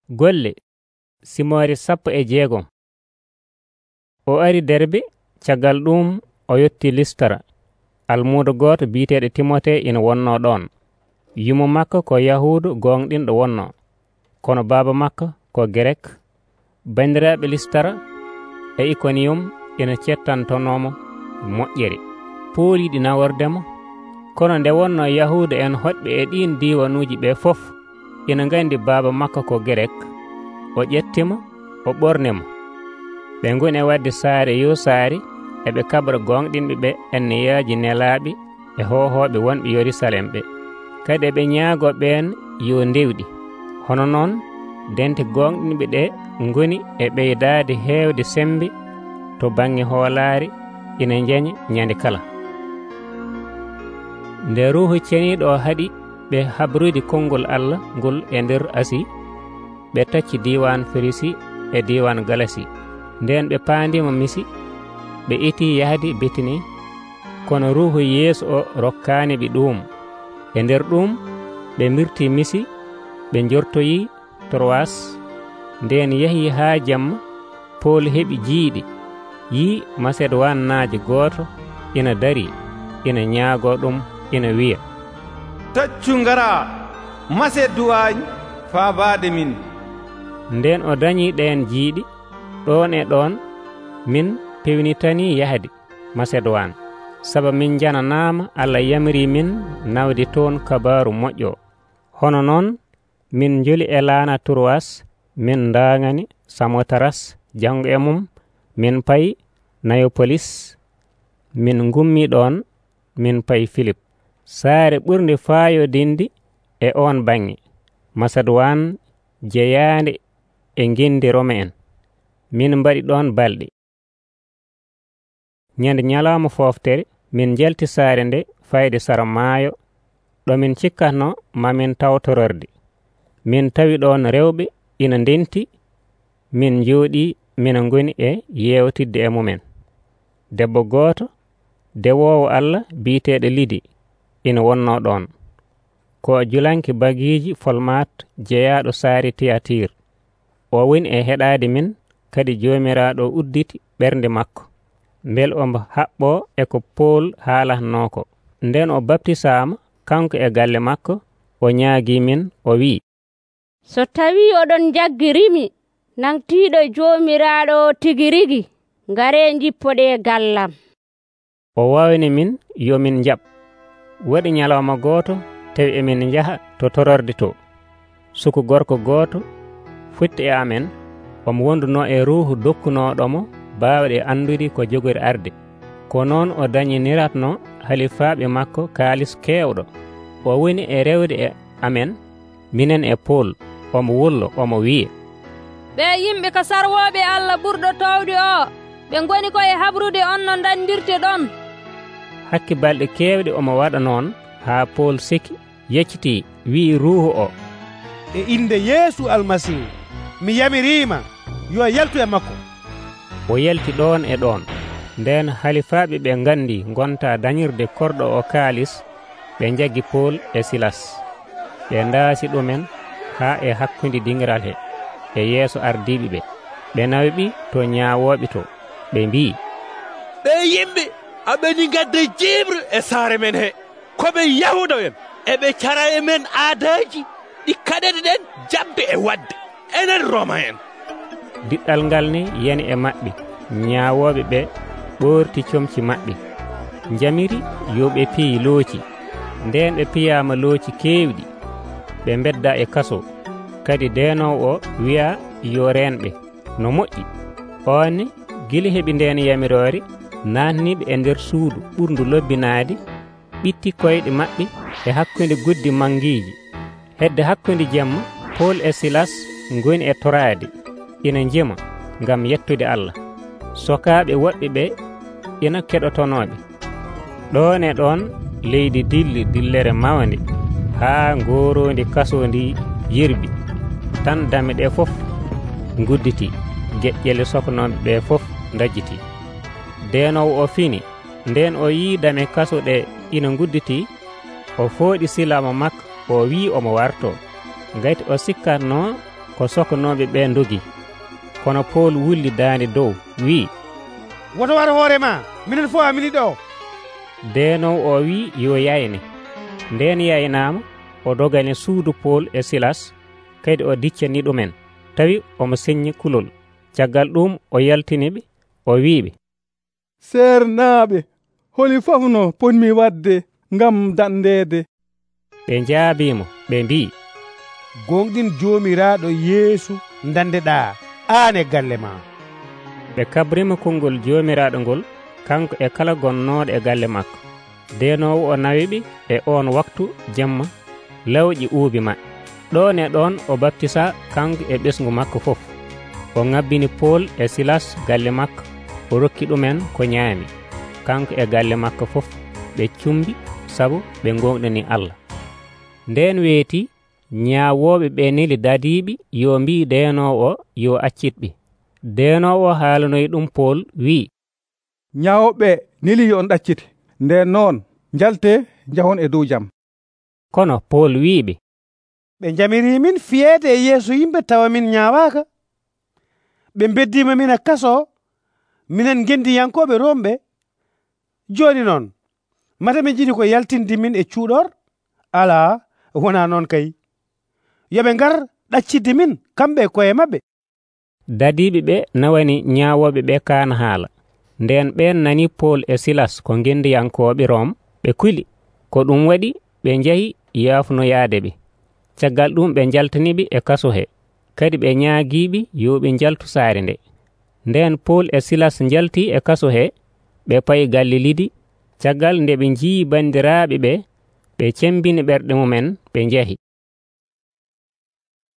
Golle Simoore 16. O ari Derbe, caggal ɗum o yotti Listara. Almuudo gooto biiteeɗo Timote ina wonnoo ɗon. Yumo makko ko Yahuudu gonɗinɗo wonnoo, kono baaba makko ko Gerek. Banndiraaɓe Listara e Ikoniyum ina cettantonomo moƴƴere, pooliiɗi nawordemo. Kono nde wonnoo Yahuudu en hoɗɓe e ɗiin diiwanuuji ɓe fof ina nganndi baaba makko ko Gerek, o ƴettimo, o ɓornimo. Ɓe ngoni e wadde saare yo saare, eɓe kabra gonɗinɓe ɓe enneyaaji nelaaɓe e hohooɓe wonɓe Yerusalem ɓe. Kadi eɓe ñaagoo ɓeen yo ndewɗi. Hono noon dente gonɗinɓe ɗe ngoni e ɓeydaade heewde sembe to baŋnge hoolaare, ina njeña ñande kala. Nde Ruuhu Ceniiɗo o haɗi ɓe habrude konngol Allah ngol e nder Asi, ɓe tacci diiwan Firisi e diiwan Galasi. Nden ɓe paandima Misi, ɓe itii yahde Betini, kono Ruuhu Yeesu o rokkaani ɓe ɗum. E nder ɗum ɓe mirtii Misi, ɓe njortoyii Troas. Nden yahii haa jamma, Pool heɓi jiiɗi, yii Masedowannaajo gooto ina darii, ina ñaagoo ɗum, ina wiya, taccu ngaraa Maseduwaañ faabaade min. Nden o dañii ɗeen jiiɗi. Ɗon e ɗon min pewnitanii yahde Masedowan, sabu min jananaama Allah yamirii min nawde toon kabaaru moƴƴo. Hono noon min njoli e laana Troas, min ndaaŋani Samotaras janngo e mum, min payi Nayopolis, min ngummii ɗon, min payi Filip, saare ɓurnde faayodinde e on baŋnge, Masedowan jeyaande e ngendi Rome en. Min mbaɗi ɗon balɗe. Ñande ñalawma fooftere min njalti saare nde fayde sara maayo, ɗo min cikkatno mamin taw tororde. Min tawi ɗon rewɓe ina ndenti. Min njooɗii, mina ngoni e yeewtidde e mumen. Debbo gooto dewoowo Allah biiteeɗo Lidi ina wonnoo ɗon, ko julanki bagiiji folmat jeyaaɗo saare Tiyatiir. O woni e heɗaade min, kadi Joomiraaɗo udditi ɓernde makko, mbel ombo haɓɓoo e ko Pool haalatnoo ko. Nden o baptisaama kanko e galle makko, o ñaagii min, o wi'i, so tawii oɗon jaggirimi nangtiiɗo Joomiraaɗo tigi rigi, ngaree njippoɗee gallam. O wawni min yo min njaɓ. Waɗi ñalawma gooto tawi emin njaha to tororde to. Suku gorko gooto futti e amen, omo wondunoo e ruuhu dokkunooɗomo baawɗe andude ko jogori arde. Ko noon o dañiniratno halifaaɓe makko kaalis keewɗo. O woni e rewde e amen, minen e Pool. Omo wullo, omo wiya, ɓe yimɓe ko sarwooɓe Allah ɓurɗo towde o, ɓe ngoni ko e habrude on no dandirte ɗon. Hakki balɗe keewɗe omo waɗa noon, haa Pool seki yeccitii, wi'i ruuhu o, e inde Yeesu Almasihu mi yamiriima, yo yaltu e makko. O yalti ɗon e ɗon. Nden halifaaɓe ɓe nganndi ngonta dañirde korɗo o kaalis, ɓe njaggi Pool e Silas. Ɓe ndaasi ɗumen haa e hakkunde dingiral he e yeeso ardiiɓe ɓe. Ɓe nawi ɓi to ñaawooɓe to. Ɓe mbii, ɓe yimɓe aɓeni ngadda jiibre e saare men he, koɓe Yahuudo'en, eɓe cara e men aadaaji ɗi kaɗete ɗen jaɓde e waɗde, enen Roma en. Diɗɗal ngal ni yani e maɓɓe. Ñaawooɓe ɓe ɓoorti comci maɓɓe, njamiri yo ɓe piyi looci. Nden ɓe piyaama looci keewɗi, ɓe mbedda e kaso. Kadi deenoowo o wi'a yo reenɓe no moƴƴi. On ne gila heɓi ndeen yamiroore, naatniiɓe e nder suudu ɓurndu lobbinaade, ɓitti koyɗe maɓɓe e hakkunde guddi mangiiji. Hedde hakkunde jemma, Pool e Silas ngoni e toraade, ina njema ngam yettude Allah. Sokaaɓe woɓɓe ɓe ina keɗotonooɓe. Ɗon e ɗon leydi dilli dillere mawnde, haa ngooroondi kaso ndi yirbi. Tan dame ɗe fof ngudditii, geƴƴele sokanooɓe ɓe fof ndajjitii. Deenoowo o fini. Nden o yii dame kaso ɗe ina ngudditii, o fooɗi silama makko, o wii omo wartoo. Ngati o sikkatnoo ko sokanooɓe ɓe dogi. Kono Pol wulli daande dow wi'i, woto war hoore ma, minen fof amini ɗo. Deenowo o wi'i yo yayne. Ndeen yaynaama, o dogani suudu Pol e Silas, kadi o diccani ɗumen, tawi omo seññi kulol. Caggal ɗum o yaltiniɓe, o wi'iɓe, seernaaɓe, holi fof no ponmi wadde ngam dandeede. ɓe njaabiimo, ɓe mbi'i, gonɗin joomiraaɗo Yeesu dandeɗaa aan e galle ma. ɓe kabrima konngol joomiraaɗo ngol kanko e kala gonnooɗo e galle makko. Deenoowo o nawiɓe e oon waktu jemma lawƴi uubi maɓɓe. ɗon e ɗon o baptisa kanko e ɓesngu makko fof. O ŋabbini Pol e Silas galle makko, o rokki ɗumen ko ñaami. Kanko e galle makko fof ɓe cumbi sabu ɓe gonɗini Allah. Ndeen weeti ñaawooɓe ɓe neli dadiiɓe yo mbii deenoowo o yo accitɓe. Deenoowo o haalanoyi ɗum Pol wi'i, ñaawooɓe neli yo on ɗaccite, nden noon njalte njahon e dow jam. Kono Pol wi'iɓe, ɓe jamirii min fiyeede e yeeso yimɓe tawa min ñaawaaka. ɓe beddiima min e kaso, minen gendiyankooɓe Romɓe. Jooni noon mata ɓe njiɗi ko yaltinde min e cuuɗor? Alaa, wonaa noon kay. yoɓe ngar ɗaccidde min kamɓe e koye maɓɓe. dadiiɓe ɓe nawani ñaawooɓe ɓe kaana haala. Ndeen ɓeen nani Pol e Silas ko gendiyankooɓe Rom, ɓe kuli. Ko ɗum waɗi ɓe njahi yaafunoyaade ɓe. Caggal ɗum ɓe jaltaniɓe e kaso he, kadi ɓe ñaagiiɓe yo ɓe njaltu saare nde. Ndeen Pol e Silas njalti e kaso he, ɓe payi galle Lidi. Caggal nde ɓe njii banndiraaɓe ɓe, ɓe cembini ɓerɗe mumen, ɓe njahi.